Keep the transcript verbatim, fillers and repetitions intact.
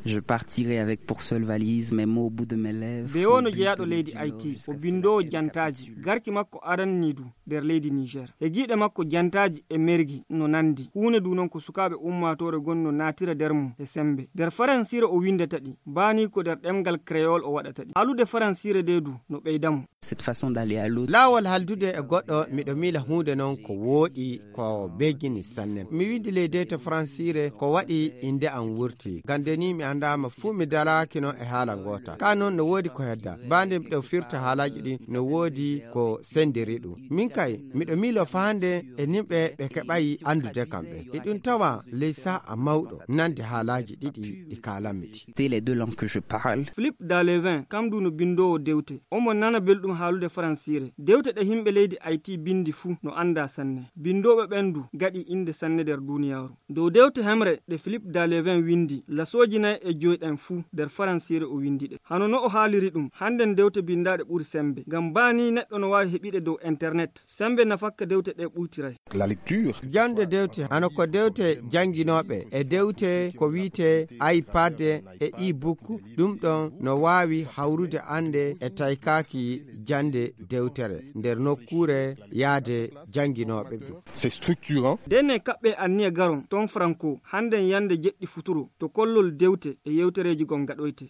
Je partirai avec pour seule valise mes mots au bout de mes lèvres. Be wono jeyaɗo leydi Haiti o bindowo jantaji garki makko arannidu nder leydi Niger. E giɗe makko jantaji e mergi no nandi. Huune du non ko sukaɓe ummatore gonno natira nder mum e sembe. Nder Faransire o windata ɗi, bani ko nder ɗemgal créole o waɗata ɗi. Halude Faransire de du no ɓeydamo. Cette façon d'aller à l'autre. Lawol haldude e goɗɗo miɗo mila hunde non ko wooɗi ko begini sanne. Mi windi leydete Faransire ko waɗi inde am wurti. Gande ni mi andama fu mi dalakino e haala ngota. Ka non no woodi ko hedda. Bande miɗo firta haalaji ɗi no woodi ko sendiri ɗum. Min kay miɗo milo fahande e nimɓe ɓe keɓayi andude kamɓe. E ɗum tawa leysa a mawɗo nande haalaji ɗiɗi ɗi kalamiti. C'est les deux langues que je parle. Philippe Dalevin kamdu no bindowo dewte. Omo nana belɗum haalude Faransire. Dewte ɗe himɓe leydi Haiti bindi fu no anda sanne. Bindoɓe ɓendu gaɗi inde sanne nder duniyaru. Dow dewte hemre ɗe Philippe Dalevin windi, lasoji nayi e joyɗen fu nder Faransire o windi ɗe. Hano no o haaliri ɗum, handen dewte bindaɗe ɓuri sembe. Ngam bani neɗɗo no wawi heɓiɗe dow internet. Sembe nafakka dewte ɗe ɓuytiray. La lecture. Jande dewte hano ko dewte janginoɓe e dewte ko wiite iPad e e-book ɗum ɗon no wawi hawrude ande e taykaki jande dewtere nder nokkure yaade janginoɓe ɗum. C'est structurant. Denne kaɓɓe anniya garon ton Franco handen yande jeɗɗi futuro to kollol dewte e yewtereji gon gaɗoyte.